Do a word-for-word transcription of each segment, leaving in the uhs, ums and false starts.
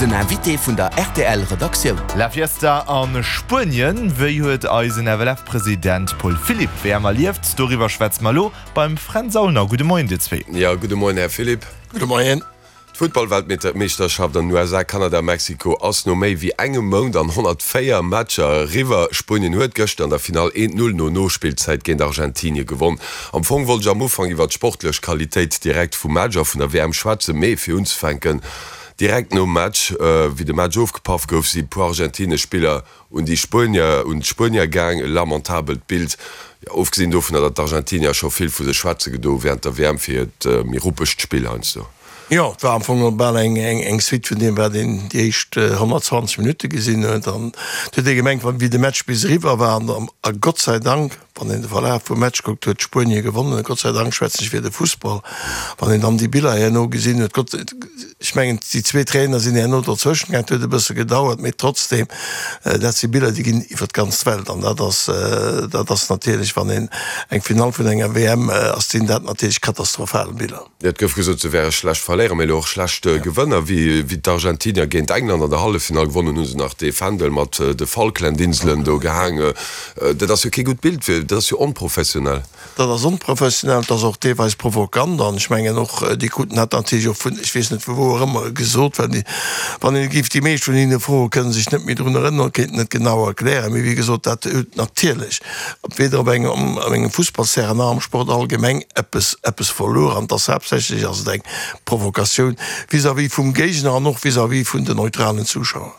Den Invité vun der R T L Redaktioun. La Fiesta a Spuenien, wéi huet eisen F L F-President Paul Philipp d'W M erlieft? Doriwwer schwätze mer elo beim Fränz Aulner. Gudde Moien dir zwee. Ja, gudde Moien, Här Philipp. Gudde Moien. D'Futtballweltmeeschterschaft an den U S A, Kanada, Mexiko ass no méi wéi engem Mount an honnertvéier Matcher eriwwer. Spuenien huet gëschter an der Finall eent Null no Nospillzäit géint Argentinie gewonn. Am Fong wollt ech am Ufank iwwer d'sportlech Qualitéit direkt vum Match a vun der W M schwätzen, mee fir unzefänken, direkt nom Match, wéi de Match ofgepaff gouf, si puer argentinesch Spiller un déi Spuenier, un d'Spuenier gaang. E lamentabelt Bild, jo, ofgesinn dovunner, datt d'Argentinier scho vill vu sech schwätze gedo während der W M fir hiert méi ruppegt Spill heiansdo. Jo, et war am Fong bal eng eng Suite vun deem, wat een déi éischt honnertzwanzeg Minutte gesinn huet. An et huet ee gemengt, wéi de Match bis eriwwer war, an a Gott sei Dank, wann een de Verlaf vum Match kuckt, huet Spuenie gewonnen. Gott sei Dank schwätzen ech fir de Fussball, wann een dann déi Biller herno gesinn huet. Gott, ech mengen, déi zwee Trainer sinn herno dozwëschen gaangen, et huet e bësse gedauert, mee trotzdem, dat si Biller, déi ginn iwwer d'ganz Welt. An dat ass, dat ass natierlech, wann een eng Finall vun enger W M ass, sinn dat natierlech katastrophal Biller. Jo, et gouf gesot, se wäre schlecht Verléierer, mee elo och schlecht Gewënner. Wéi d'Argentinier géint England an der Halleffinall gewonnen hunn, hu se nach dee Fändel mat de Falklandinselen do gehaangen. Dat ass jo kee gutt Bild, dat ass jo onprofessionell. Dat ass onprofessionell, dat ass och deelweis provokant. An ech mengen och, déi kruten dat natierlech och vun, ech weess net vu wou och ëmmer, gesot. Well wann een géif déi meescht vun hinne froen, kënne sech net méi drun erënneren, kéinten et genau erklären. Mee wéi gesot, dat huet natierlech weder op engem, op engem Fussballsterrain nach am Sport allgemeng eppes, eppes verluer. An et ass haaptsächlech ass et eng Provokatioun vis-à-vis vum Géigner an och vis-à-vis vun den neutralen Zuschauer.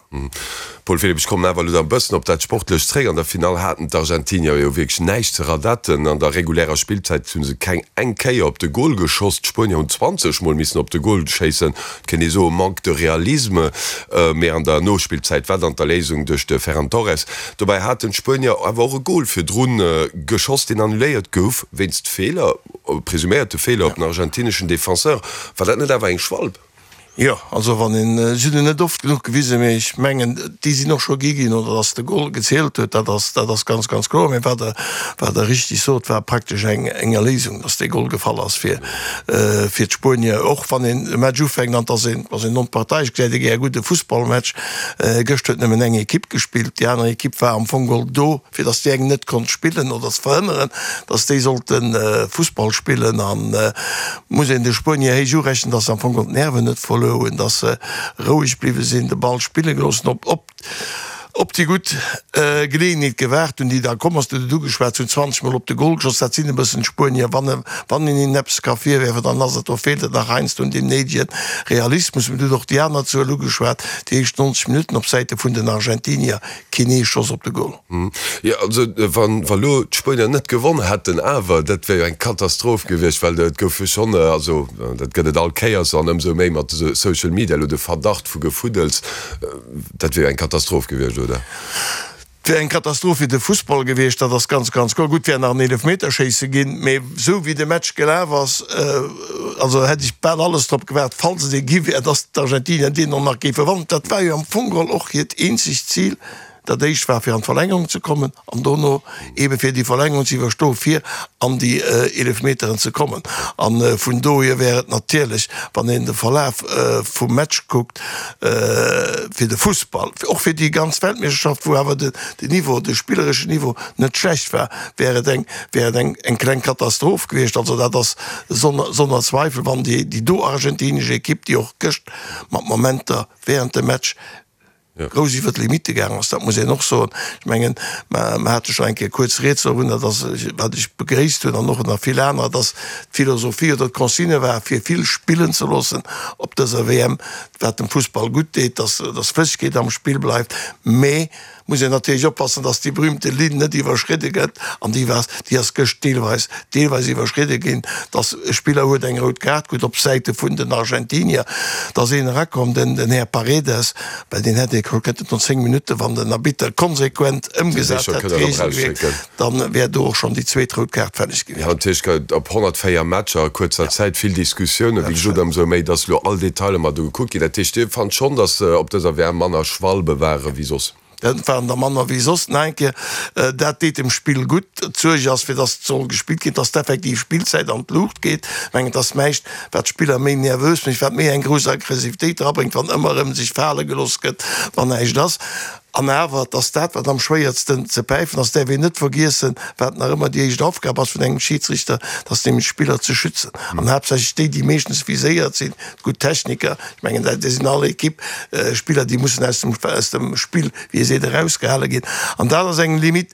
Paul Philipp, ech kommen awer elo da e bëssen op dat Sportlecht zréck. An der Finall haten d'Argentinier jo wierklech näischt ze radetten. An der regulärer Spillzäit hu se keng eng Kéier op de Gol geschoss. D'Spuenier hunn zwanzeg Mol missen op de Gol schéissen. Et kéint ee soen, Manque de réalisme. Mee an der Nospillzäit war dann d'Erléisung duerch de Ferran Torres. Dobäi haten d'Spuenier awer och e Gol virdrun geschoss, deen annuléiert gouf wéinst Feeler, presuméierte Feeler op den argentineschen Defenseur. War dat net awer eng Schwalb? Jo, also wann een, si hunn en net oft genuch gewisen, mee ech mengen, déi sinn och scho gi ginn, oder datt de Gol gezielt huet, dat ass, dat ass ganz, ganz kloer. Mee wat Der, wat Der richtig sot, war praktesch eng, eng Erléisung, datt dee Gol gefall ass fir, fir d'Spuenier. Och wann een e Match ufänkt an et ass een, ass een onparteiisch, gesäit ee gär e gudde Fussballmatch. Gëscht huet nëmmen eng Ekipp gespillt, déi aner Ekipp war am Fong geholl do, fir datt déi eng net konnt spillen oder ze verhënneren, datt déi sollte Fussball spillen. An muss een de Spuenier héich urechnen, datt se am Fong geholl d'Nerven net verluer hunn, dass se roueg bliwwe sinn, de Ball spille gelooss hunn, op, op, op déi gutt Geleeënheet gewaart hunn, déi da komm ass. Du huet et ugeschwat, se hunn zwanzeg Mol op de Gol geschoss. Dat sinn e bëssen d'Spuenier. Wann, wann een hinnen eppes ka virwerfen, dann ass et, do feelt et nach heiansdo un deem néidege Realismus. Mä du huet och déi aner Zuel ugeschwat, déi éischt neunzeg Minutten op Säite vun den Argentinier, keen ee Schoss op de Gol. Jo, also wann, wa lo d'Spuenier net gewonn hätten awer, dat wär jo eng Katastroph gewiescht, well et gouf jo schonn, also dat gëtt et all Kéiers an ëmsou méi mat Social Media elo de Verdacht vu Gefuddels, dat wier jo eng Katastroph gewiescht, oder? Et wär eng Katastroph fir de Fussball gewiescht, dat ass ganz, ganz kloer. Gutt, wär nach en Eelefmeterschéisse ginn, mee esou wéi de Match gelaf ass, also hätt ech bal alles drop gewaart, falls et ee gi wär, datt d'Argentinier deen och nach géife wannen. Dat war jo am Fong geholl och hiert eenzegt Zil. Dat éischt war fir an d'Verlängerung ze kommen an dono eebe fir déi Verlängerung ze iwwerstoen, fir an déi Eelefmeteren ze kommen. A vun dohier wär et natierlech, wann een de Verlaf vum Match kuckt, fir de Fussball, och fir déi ganz Weltmeeschterschaft, wou awer den Niveau, de spillereschen Niveau net schlecht war, wär et eng, wär et eng, eng kleng Katastroph gewiescht. Also dat ass sonner Zweifel, wann déi, déi do argentinesch Ekipp, déi och gëscht mat Momenter während dem Match grouss iwwer d'Limitte gaangen ass, dat muss een och soen. Ech mengen, mer hate schonn eng Kéier kuerz Rieds dovunner, dass, wat ech begréisst hunn an och nach vill anerer, dass d'Philosophie oder d'Consigne war, fir vill spillen ze loossen op dëser W M, wat dem Fussball gutt deet, dass, dass Flëssegkeet am Spill bleift. Mee muss een natierlech oppassen, dass déi berühmte Linn net iwwerschridde gëtt, an déi war, déi ass gëscht deelweis, deelweis iwwerschridde ginn, dass e Spiller huet eng rout Kaart krut op Säite vun den Argentinier, dass een erakomm, den, den Här Paredes, well deen hätt ee kënnten no zéng Minutten, wann den Arbitter konsequent ëmgesat hätt, d'Reegel gewiert, dann wär do och schonn déi zweet rout Kaart fälleg gewiescht. Jo, natierlech gëtt op honnertvéier Matcher a kuerzer Zäit vill Diskussiounen, wéi gesot, ëmsou méi, dass elo all Detailer mat ugekuckt ginn. Dat heescht, Dir fannt schonn, dass op dëser W M manner Schwalbe ware wéi soss? Dat waren der manner wéi soss nach eng Kéier. Dat deet dem Spill gutt. D'Suerg ass, fir dass et soll gespillt ginn, dass d'effektiv Spillzäit an d'Luucht geet. Ech mengen, et ass näischt, wat d'Spiller méi nervös mécht, wat méi eng grouss Aggressivitéit erabréngt, wann ëmmer erëm sech fale gelooss gëtt, wann näischt ass. An awer, et ass dat, wat am schwéiertsten ze päifen ass, däerf een net vergiessen, wat nach ëmmer déi éischt Aufgab ass vun engem Schiedsrichter, dat ass nämlech d'Spiller ze schützen. An haaptsächlech déi, déi meeschtens viséiert sinn, d'gutt Techniker, ech mengen, dat sinn all Equipe Spiller, déi mussen aus dem, aus dem Spill, wéi ee seet, erausgehale ginn. An dat ass eng Limite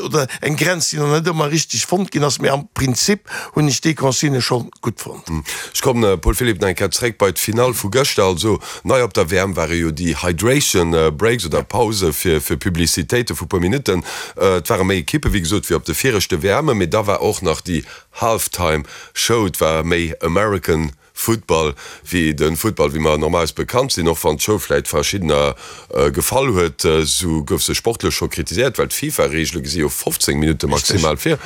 oder eng Grenz, déi nach net ëmmer richteg fonnt ginn ass. Mee am Prinzip hunn ech déi Consignë scho gutt fonnt. Ech kommen, Paul Philipp, nach eng Kéier zréck bei d'Finall vu gëschter. Also nei op der W M ware jo déi Hydration Breaks oder Pause fir fir Publicitéite vu puer Minutten. Et ware méi Ekippe wéi gesot wéi op de viregte W Mme, mee da war och nach déi Halftime Show. Et war méi American Football wéi de Football wéi mer normalerweis bekannt sinn. Och wann d'Show vläit verschiddener gefall huet, sou gouf se sportlech scho kritiséiert, well d'FIFA-Reegele gesi jo fofzéng Minutte maximal vir.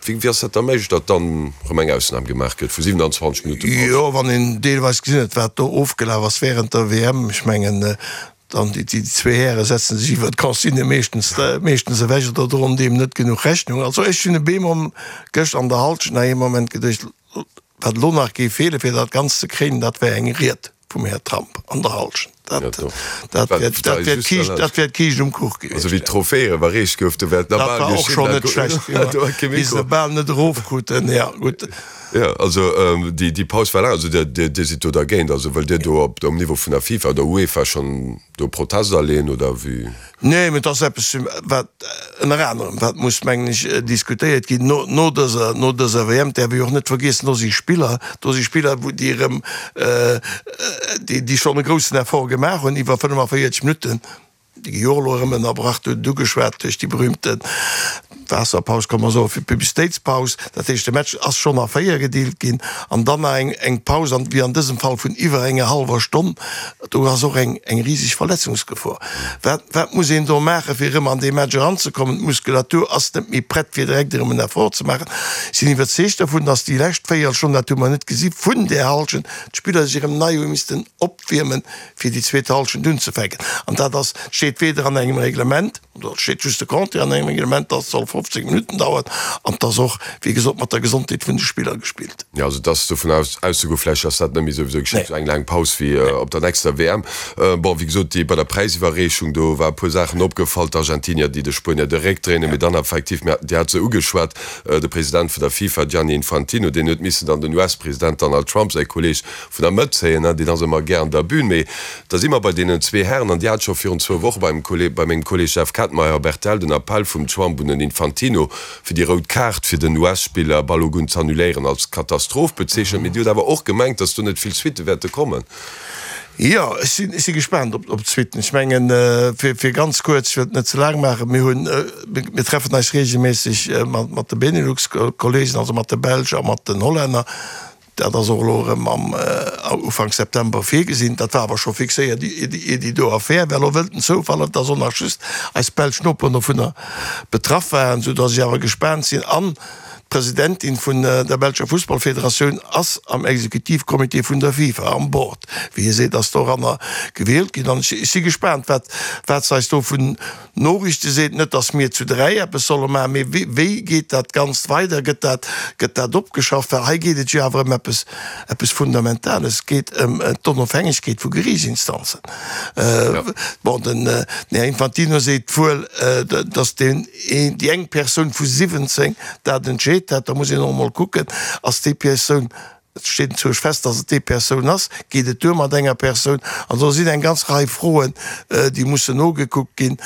Wéi ass dat da méiglech, datt dann erëm eng Ausnam gemaach gëtt vu siwenanzwanzeg Minutte Paus? Jo, wann een deelweis gesinn huet, wat do ofgelaf ass wärend der W M, ech mengen, dann déi zwee Häre setzen sech iwwert d'Consigne meeschtens, meeschtens ewech oder droen deem net genuch Rechnung. Also ech hunn e beemol gëscht an der Halschent nach ee Moment geduecht, wat elo nach géif feelen, fir dat Ganzt ze kréinen, dat wär eng Ried vum Här Trump an der Halschent. Dat, dat wär, dat wär d'Kiischt, dat wär d'Kiischt um Kuch gewiescht. Also wéi d'Trophäe iwwerreecht gouf, do wär Dat war och schonn net schlecht, wéi se bal net erofkruten. Ja, gutt. Ja, also déi, déi Paus war laang. Also Dir, Dir, Dir sidd do dergéint? Also wëllt Dir do op, um Niveau vun der FIFA oder UEFA schonn do Protest aleeën oder wéi? Nee, mä et ass eppes, wat ënner anerem, wat muss, mengen ech, diskutéiert ginn no, no dëser, no dëser W M. Däerf ee jo och net vergiessen, do si Spiller, do si Spiller, wou déi erëm, déi, déi schonn e groussen Effort gemaach hunn iwwer fënnefenvéierzeg Minutten. Déi gi jo och elo erëm ënnerbrach, du huet et ugeschwat, duerch déi berühmte Waasserpaus, kann mer soen, fir d'Publicitéitspaus. Dat heescht, de Match ass schonn a véier gedeelt ginn an dann nach eng, eng Paus, an wéi an dësem Fall vun iwwer enger hallwer Stonn. Do ass och eng, eng riseg Verletzungsgefor. Wat, wat muss een do maachen, fir erëm an dee Match eranzekommen? D'Muskulatur ass net méi prett, fir direkt erëm en Effort ze maachen. Ech sinn iwwerzeegt dovun, dass déi lescht Véierelstonn, dat hu mer net gesi vun där Hallschent, d'Spiller sech erëm nei hu missten opwiermen, fir déi zweet Hallschent unzefänken. An dat ass, steet weder an engem Reglement, oder et steet just de Contraire an engem Reglement, dass et soll fofzéng Minutten dauern, an et ass och, wéi gesot, mat der Gesondheet vun de Spiller gespillt. Jo, also et ass dovun auszegoen vläicht, dass dat net méi souwisou geschitt, esou eng laang Paus wéi op der nächster W M. Bon, wéi gesot, déi bei der Präisiwwerreechung, do war e puer Saachen opgefall, d'Argentinier, déi de Spuenier de Réck dréinen, mee dann effektiv, mir, Dir hat se ugeschwat, de President vun der FIFA, Gianni Infantino, deen huet missen dann den U S-President Donald Trump, säi Kolleeg, vun der Mëtt zéien, deen ass ëmmer gär an der Bühn. Mee da si mer bei deenen zwee Hären, an Dir hat scho virun zwou Woche beim Kolleg, bei mengem Kolleg Jeff Kettenmeyer op R T L den Appell vum Trump un den Infantino, fir déi rout Kaart fir den U S-Spiller Balogun z'annuléieren, als Katastroph bezeechent. Mee Dir hutt awer och gemengt, datt do net vill Suitte wäerte kommen. Jo, ech sinn, ech si gespaant op, op d'Suitten. Ech mengen, fir, fir ganz kuerz, ech wëll et net ze laang maachen, mir hunn, mir treffen eis regelméisseg mat, mat de Benelux-Kollegen, also mat de Belsch a mat den Hollänner. Dat ass och elo erëm am Ufank September virgesinn. Dat war awer scho fixéiert, ier déi do Affär war. Elo wëllt den Zoufall, dass och nach just eis belsch Noperen dovunner betraff waren, soudass ech awer gespaant sinn. An d'Presidentin vun der belscher Fussballfederatioun ass am Exekutivcomité vun der FIFA, am Board, wéi ee seet, ass doranner gewielt ginn. An ech si gespaant, wat wat se eis do vun Noriichte seet. Net, datt mir zu dräi eppes solle maachen, mee wéi wéi geet dat Ganzt weider? Gëtt dat gëtt dat opgeschafft? Well hei geet et jo awer ëm eppes eppes Fundamentales. Et geet ëm d'Onofhängegkeet vu Geriichtsinstanzen. Bon, den Här Infantino seet wuel, datt deen een déi eng Persoun vu siwwenzéng dat entscheet hätt. Da muss een och emol kucken, ass déi Persoun, et steet enzwousch fest, datt et déi Persoun ass, geet et duer mat enger Persoun? An do sinn eng ganz Rei Froen, déi mussen nogekuckt ginn.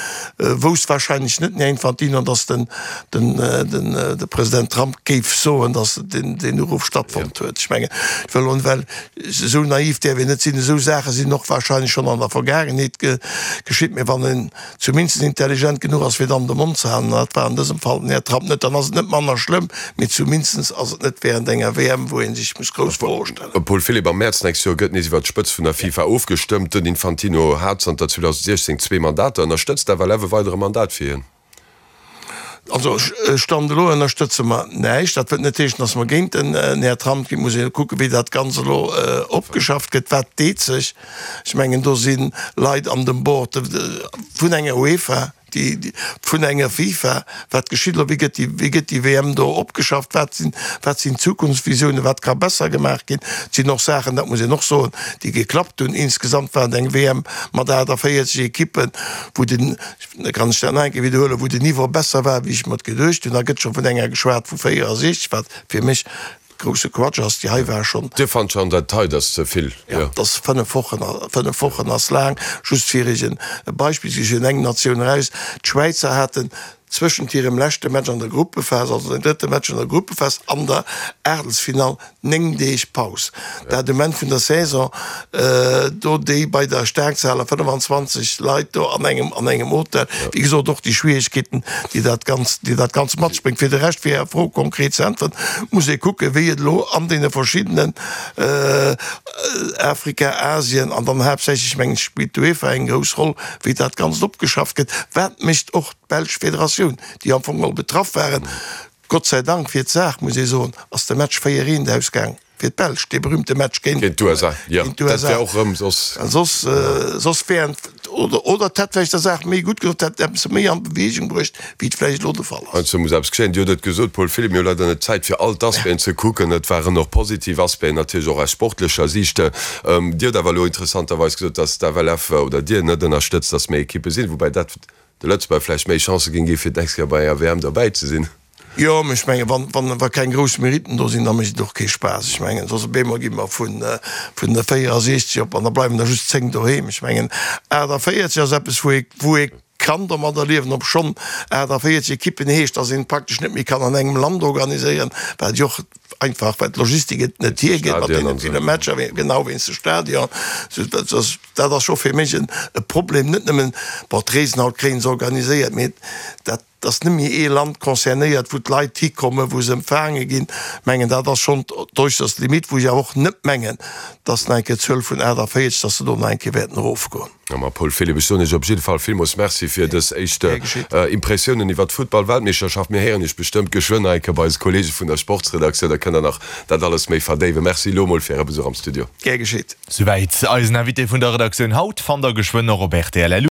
Wousst wahrscheinlech net den Här Infantino, datt den, den, den, de President Trump géif soen, datt deen, deen Uruff stattfonnt huet. Ech mengen, ech wëll elo, well esou naiv däerf een net sinn, esou Saache sinn och wahrscheinlech schonn an der Vergaangenheet geschitt, mä wann een zumindest intelligent genuch ass, fir dann de Mond ze halen, an dat war an dësem Fall den Här Trump net, dann ass et net manner schlëmm, mee zumindest ass et net während enger W M, wou ee sech muss grouss Froe stellen. Paul Philipp, am Mäerz d'nächst Joer gëtt nees iwwer d'Spëtzt vun der FIFA ofgestëmmt. Den Infantino hat zanter zweedausendsiechzéng zwee Mandater. Ënnerstëtzt d'F L F e weidere Mandat fir hien? Also Stand elo ënnerstëtze mer näischt. Dat wëllt net heeschen, datt mer géint den Här Trump ginn. Et muss een kucken, wéi dat Ganzt elo opgeschafft gëtt. Wat deet sech? Ech mengen, do si Leit an dem Board vun enger UEFA, déi vun enger FIFA. Wat geschitt elo? Wéi gëtt déi, wéi gëtt déi W M do opgeschafft? Wat sinn, wat sinn d'Zukunftsvisiounen? Wat ka besser gemaach ginn? Et sinn och Saachen, dat muss een och soen, déi geklappt hunn. Insgesamt war et eng W M mat aachtavéierzeg Ekippen, wou den, Da kann ech dat nach eng Kéier widderhuelen, wou den Niveau besser war, wéi ech mer et geduecht hunn. Da gëtt scho vun enger geschwat vu véierasiechzeg, wat fir mech grousse Quatsch ass. Déi hei war schonn. Dir fannt schonn, dat hei ass ze vill, jo? Jo, dat ass fënnef Wochen. Fënnef Wochen ass laang. Just fir Iech e Beispill ze ginn, eng Natioun eraus, D'Schwäizer haten zwëschent hirem leschte Match an der Gruppephas, also den drëtte Match an der Gruppephas, an der Aachtelsfinall néng Deeg Paus. Dat um Enn vun der Saison, do déi bei der Staarkzahler fënnefan zwanzeg Leit do an engem an engem Hotel. Wéi gesot, och déi Schwieregkeeten, déi dat Ganzt, déi dat Ganzt mat sech bréngt. Fir de Rescht, fir Är Fro konkret ze äntweren, muss ee kucken, wéi et elo an deene verschiddenen Afrika, Asien an dann haaptsächlech, mengen ech, spillt d'UEFA eng grouss Roll, wéi dat Ganzt opgeschafft gëtt. Wat mécht och d'belsch Federatioun, déi am Fong geholl betraff waren? Gott sei Dank fir d'Saach, muss ee soen, ass de Match véier eent ausgaang fir d'Belsch, dee berühmte Match géint d'U S A. Jo, dat wär och erëm soss. Soss, soss wären, oder, oder et hätt vläicht der Saach méi gutt gedoen, et hätt eppes méi an Beweegung bruecht, wéi et vläicht elo de Fall ass. Heiansdo muss eppes geschéien. Dir hutt et gesot, Paul Philipp, mir hu leider net d'Zäit, fir all d'Aspecten ze kucken. Et waren och positiv Aspecten, natierlech och aus sportlecher Siicht. Dir hutt awer elo interessanterweis gesot, dass d'F L F oder Dir net ënnerstëtzt, dass méi Ekippe sinn, woubäi dat de Lëtzebuerger vläicht méi Chancë géing gi fir d'nächst Kéier bei enger W M derbäi ze sinn. Jo, mee ech mengen, wann, wann, wa keng grouss Meritten do sinn, da mécht et och kee Spaass. Ech mengen, soss op eemol gi mer vun, vun de véierasiechzeg op an da bleiwen der just zéng doheem. Ech mengen, aachtavéierzeg ass eppes, wou ee, wou ee kann domadder liewen, obschonn aachtavéierzeg Ekippen heescht, dass een praktesch net méi kann an engem Land organiséieren, wat jo och einfach, well d'Logistik et net hiergëtt mat deene ville Matcher, genau wéinst de Stadion. Dat ass scho fir mech e Problem, net nëmmen, bon, d'Reesen haut kréie se organiséiert, mee dat ass net méi ee Land concernéiert, wou d'Leit hikommen, wou se empfaange ginn. Ech mengen, dat ass schonn d'äusserst Limite, wou ech awer och net mengen, dass nach eng Kéier d'Zuel vun aachtavéierzeg, dass se do nach eng Kéier wäerten erofgoen. Ma Paul Philipp, ech soen Iech op jidde Fall villmools Merci fir dës éischt Impressiounen iwwer d'Futtball-Weltmeeschterschaft. Mir héieren Iech bestëmmt geschwënn nach eng Kéier bei eise Kollege vun der Sportsredaktioun, da kënnt Der nach dat alles méi verdéiwen. Merci elo mol fir Äre Besuch am Studio. Gär geschitt. Souwäit eisen Invité vun der Redaktioun haut. Fannt der geschwënn och op rtl.